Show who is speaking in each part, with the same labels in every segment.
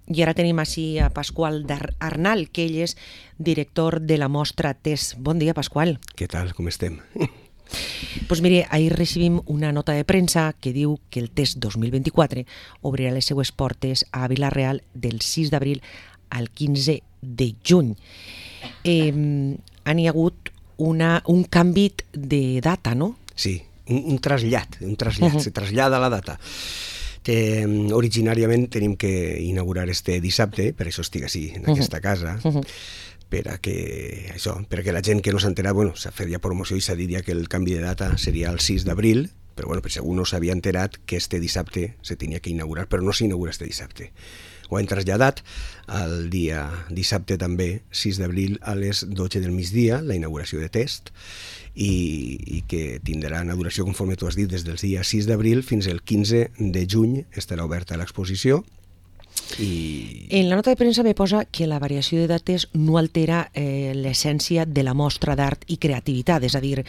Speaker 1: I ara tenim així a Pasqual Arnal, que ell és director de la mostra TESS. Bon dia, Pasqual.
Speaker 2: Què tal, com estem?
Speaker 1: Pues mire, ahir recibim una nota de premsa que diu que el TESS 2024 obrirà les seues portes a Vila-real del 6 d'abril al 15 de juny. Han hi hagut un canvi de data, no?
Speaker 2: Sí, un trasllat, se trasllada la data. Originàriament tenim que inaugurar este dissabte, per això estic així, en aquesta casa, perquè la gent que no s'ha enterat, s'ha fet ja promoció i s'ha dit ja que el canvi de data seria el 6 d'abril, però per segur no s'havia enterat que este dissabte se tenia que inaugurar, però no s'inaugura este dissabte. Ho hem traslladat al dia dissabte també, 6 d'abril, a les 12 del migdia, la inauguració de TESS, i que tindrà una duració, conforme tu has dit, des del dia 6 d'abril fins al 15 de juny estarà oberta l'exposició.
Speaker 1: En la nota de premsa me posa que la variació de dates no altera l'essència de la mostra d'art i creativitat, és a dir,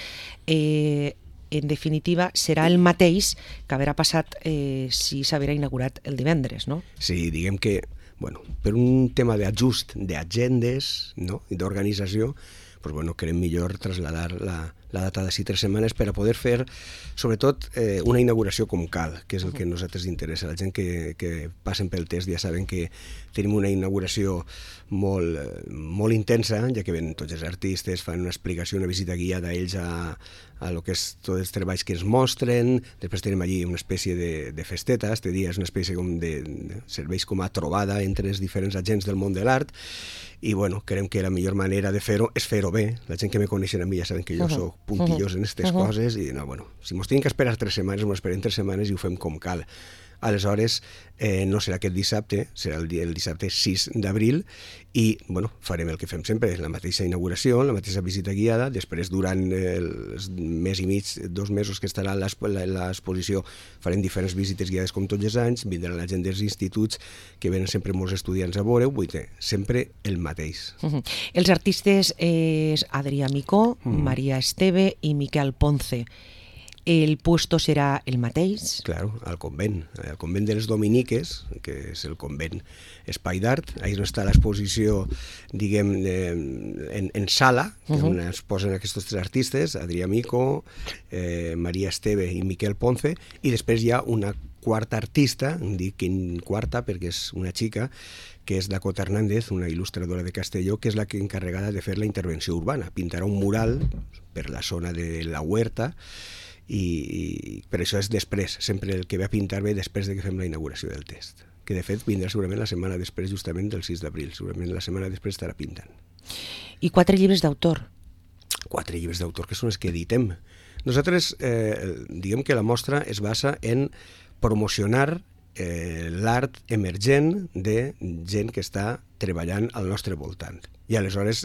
Speaker 1: en definitiva serà el mateix que haurà passat si s'haurà inaugurat el divendres, no?
Speaker 2: Sí, diguem que, per un tema d'ajust d'agendes i d'organització, creiem millor traslladar la data d'ací 3 setmanes per a poder fer, sobretot, una inauguració com cal, que és el que a nosaltres interessa. La gent que passen pel TESS ja saben que tenim una inauguració molt intensa, ja que ven tots els artistes, fan una explicació, una visita guiada a ells a lo que és tots els treballs que ens mostren. Després tenim allí una espècie de festeta, este dia és una espècie de serveis com a trobada entre els diferents agents del món de l'art, i creiem que la millor manera de fer-ho és fer-ho bé. La gent que me coneixen a mi ja saben que jo soc puntillós en aquestes coses, i si mos tenim que esperar 3 setmanes, mos esperem 3 setmanes i ho fem com cal. Aleshores, no serà aquest dissabte, serà el dissabte 6 d'abril, i farem el que fem sempre, la mateixa inauguració, la mateixa visita guiada. Després, durant el mes i mig, 2 mesos que estarà l'exposició, farem diferents visites guiades com tots els anys, vindrà la gent dels instituts, que venen sempre molts estudiants a veure, sempre el mateix.
Speaker 1: Els artistes és Adrià Micó, Maria Esteve i Miquel Ponce. El puesto serà el mateix?
Speaker 2: Claro, al convent de les Dominiques, que és el convent espai d'art. Ahir no està l'exposició, diguem, en sala, on es posen aquests 3 artistes, Adrià Micó, Maria Esteve i Miquel Ponce, i després hi ha una quarta artista, dic quarta perquè és una xica, que és Dakota Hernández, una il·lustradora de Castelló, que és la que encarregada de fer la intervenció urbana. Pintarà un mural per la zona de la Huerta, i per això és després, sempre el que ve a pintar ve després de que fem la inauguració del TESS, que de fet vindrà segurament la setmana després, justament del 6 d'abril, segurament la setmana després estarà pintant.
Speaker 1: I 4 llibres d'autor?
Speaker 2: 4 llibres d'autor, que són els que editem. Nosaltres, diguem que la mostra es basa en promocionar l'art emergent de gent que està treballant al nostre voltant. I aleshores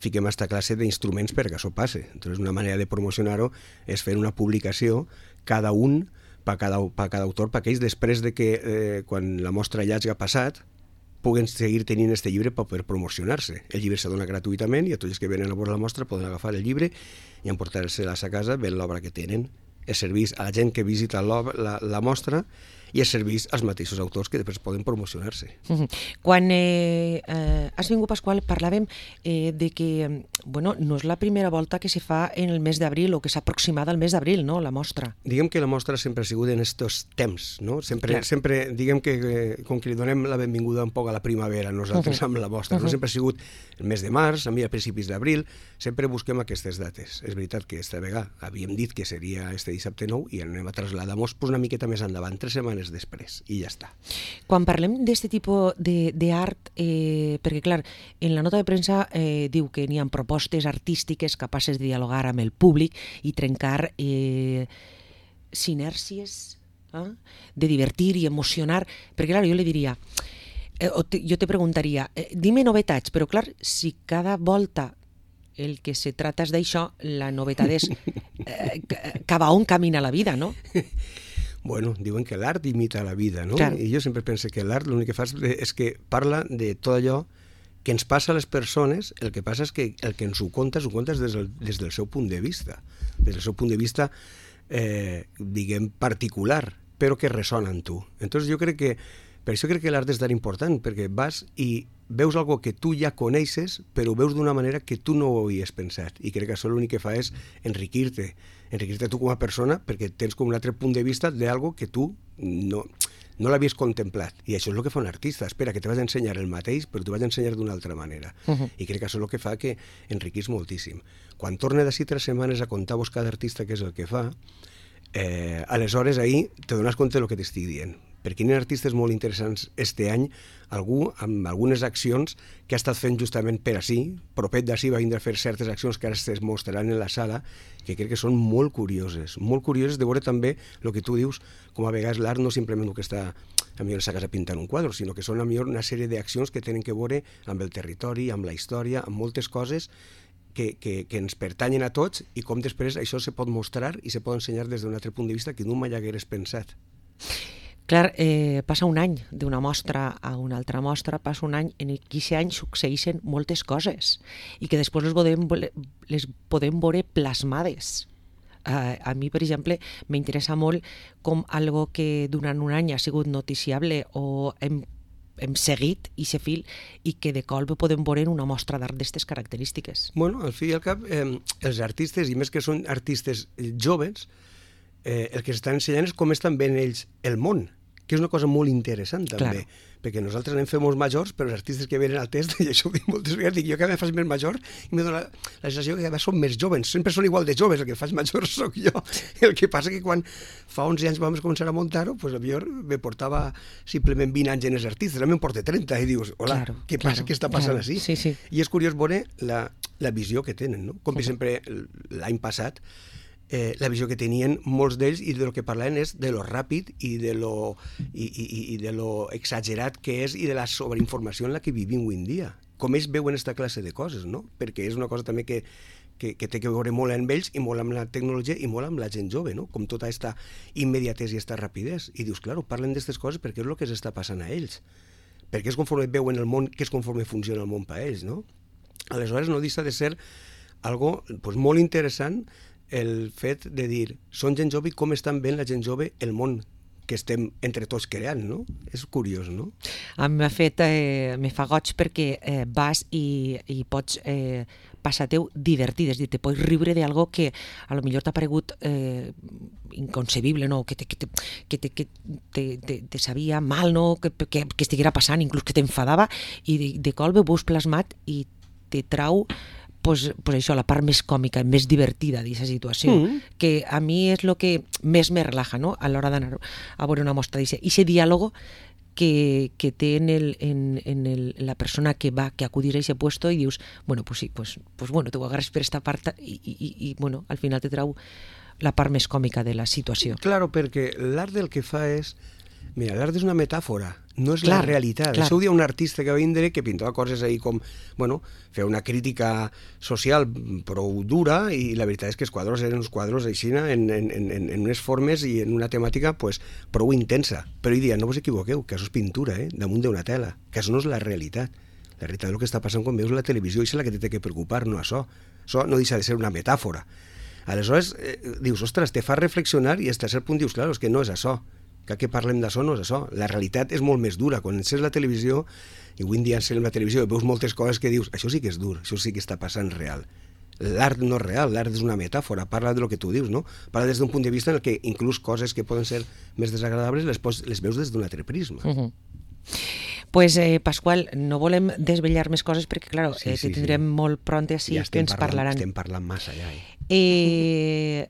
Speaker 2: fiquem aquesta classe d'instruments perquè això passe. Entonces, una manera de promocionar-ho és fer una publicació, cada un, per cada autor, perquè ells, després de que, quan la mostra ja hagi passat, puguen seguir tenint aquest llibre per poder promocionar-se. El llibre se dona gratuïtament i a tots els que venen a veure la mostra poden agafar el llibre i emportar-se-la a casa veient l'obra que tenen. Es serveix a la gent que visita la mostra i es serveix als mateixos autors que després poden promocionar-se.
Speaker 1: Quan has vingut, Pasqual, parlàvem de que no és la primera volta que se fa en el mes d'abril o que s'ha aproximat al mes d'abril, no?, la mostra.
Speaker 2: Diguem que la mostra sempre ha sigut en aquests temps, no? Sempre diguem que com que li donem la benvinguda un poc a la primavera nosaltres amb la mostra, no? Sempre ha sigut el mes de març, a principis d'abril, sempre busquem aquestes dates. És veritat que aquesta vegada havíem dit que seria este dissabte 9 i anem a traslladar-nos una miqueta més endavant, 3 setmanes després, i ja està.
Speaker 1: Quan parlem d'aquest tipus d'art, perquè clar, en la nota de premsa diu que n'hi ha propostes artístiques capaces de dialogar amb el públic i trencar sinèrcies, de divertir i emocionar, perquè clar, jo li diria, jo te preguntaria, dime novetats, però clar, si cada volta el que se trata és d'això, la novetat és cap a on camina la vida, no?
Speaker 2: Diuen que l'art imita la vida, no?
Speaker 1: Claro.
Speaker 2: I jo sempre penso que l'art l'únic que fa és que parla de tot allò que ens passa a les persones. El que passa és que el que ens ho contes des del seu punt de vista, diguem, particular, però que ressona en tu. Entonces jo crec que Per això crec que l'art és tan important, perquè vas i veus algo que tu ja coneixes, però ho veus d'una manera que tu no ho havies pensat. I crec que això l'únic que fa és enriquir-te tu com a persona, perquè tens com un altre punt de vista d'algo que tu no l'havies contemplat. I això és el que fa un artista. Espera, que te vas a ensenyar el mateix, però t'ho vas a ensenyar d'una altra manera. I crec que això és el que fa que enriquís moltíssim. Quan torne d'ací 3 setmanes a contar-vos cada artista què és el que fa, aleshores ahir te dones compte del que t'estic dient. Perquè hi ha artistes molt interessants este any, algú amb algunes accions que ha estat fent justament per ací, propet d'ací va vindre a fer certes accions que ara es mostraran en la sala, que crec que són molt curioses de veure també el que tu dius, com a vegades l'art no simplement el que està a millor a casa pintant un quadre, sinó que són a millor una sèrie d'accions que tenen que veure amb el territori, amb la història, amb moltes coses que ens pertanyen a tots i com després això se pot mostrar i se pot ensenyar des d'un altre punt de vista que no mai hagueres pensat.
Speaker 1: Clar, passa un any d'una mostra a una altra mostra, passa un any en què aquest any succeeixen moltes coses i que després les podem veure plasmades. A mi, per exemple, m'interessa molt com algo que durant un any ha sigut noticiable o hem seguit aquest fil i que de colp podem veure en una mostra d'art d'aquestes característiques.
Speaker 2: Bueno, al fi i al cap, els artistes, i més que són artistes joves, el que s'estan ensenyant és com estan veient ells el món, que és una cosa molt interessant també, perquè nosaltres anem fent molts majors, però els artistes que venen al test, i això ho dic moltes vegades, dic jo cada vegada faig més major i me dona la sensació que cada vegada som més joves, sempre són igual de joves, el que faig major soc jo. El que passa que quan fa 11 anys vam començar a muntar-ho, pues, potser me portava simplement 20 anys en els artistes, ara me'n porta 30 i dius, hola, què passa, què està passant així?
Speaker 1: Sí.
Speaker 2: I és curiós veure la visió que tenen, no? Com per exemple l'any passat, la visió que tenien molts d'ells i del que parlaven és de lo ràpid i de lo exagerat que és i de la sobreinformació en la que vivim avui en dia. Com ells veuen aquesta classe de coses, no? Perquè és una cosa també que té que veure molt amb ells i molt amb la tecnologia i molt amb la gent jove, no? Com tota aquesta immediatesa i aquesta rapidesa. I dius, clar, parlen d'aquestes coses perquè és el que s'està passant a ells. Perquè és conforme veuen el món, que és conforme funciona el món per a ells, no? Aleshores no deixa de ser algo pues, molt interessant el fet de dir, són gent jove i com estan veient la gent jove el món que estem entre tots creant, no? És curiós, no?
Speaker 1: A mi me fa goig perquè vas i pots passar-teu divertit, és a dir, te pots riure d'algo que a lo millor t'ha paregut inconcebible, no? Que te sabia mal, no? Que estiguera passant, inclús que t'enfadava, i de colp ho veus plasmat i te trau pues això, la part més còmica, més divertida d'aquesta situació, que a mi és el que més me relaja, no? A l'hora d'anar a veure una mostra d'això. I aquest diàleg que té en la persona que acudís a aquest puesto i dius, bueno, pues sí, pues bueno, t'ho agarres per esta part i bueno, al final te trau la part més còmica de la situació.
Speaker 2: Claro, perquè l'art del que fa és... Mira, l'art és una metàfora, no és la realitat. Això ho dia un artista que va vindre que pintava coses ahí com, bueno, feia una crítica social prou dura i la veritat és que els quadros eren uns quadros així en unes formes i en una temàtica pues, prou intensa. Però ell dia, no vos equivoqueu, que això és pintura, damunt d'una tela, que això no és la realitat. La realitat és el que està passant quan veus la televisió i és la que té que preocupar, no això. Això no deixa de ser una metàfora. Aleshores, dius, ostres, te fa reflexionar i fins a cert punt dius, clar, és que no és això. Que parlem d'això no és això. La realitat és molt més dura. Quan encens la televisió, i avui en dia encens la televisió i veus moltes coses que dius, això sí que és dur, això sí que està passant real. L'art no és real, l'art és una metàfora, parla del que tu dius, no? Parla des d'un punt de vista en què inclús coses que poden ser més desagradables les veus des d'un altre prisma.
Speaker 1: Pues, Pasqual, no volem desvetllar més coses perquè, clar, te tindrem molt pront així que ens parlaran.
Speaker 2: Estem parlant massa ja.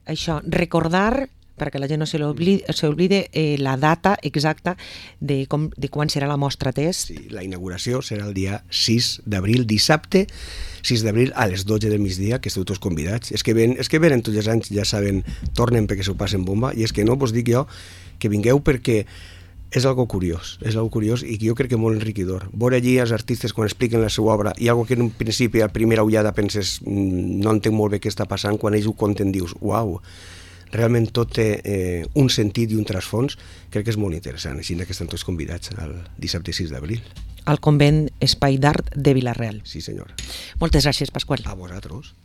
Speaker 1: Això, recordar, perquè la gent no s'oblide la data exacta de quan serà la mostra test.
Speaker 2: Sí, la inauguració serà el dia 6 d'abril, dissabte, 6 d'abril a les 12 del migdia, que esteu tots convidats. És que venen tots els anys, ja saben, tornen perquè s'ho passen bomba, i és que no vos dic jo que vingueu perquè és algo curiós i jo crec que molt enriquidor. Veure allí els artistes quan expliquen la seva obra i algo que en un principi a primera ullada penses no entenc molt bé què està passant, quan ells ho conten dius, uau, realment tot té un sentit i un trasfons, crec que és molt interessant, així que estan tots convidats el dissabte 6 d'abril.
Speaker 1: Al Convent Espai d'Art de Vila-real.
Speaker 2: Sí, senyor.
Speaker 1: Moltes gràcies, Pasqual.
Speaker 2: A vosaltres.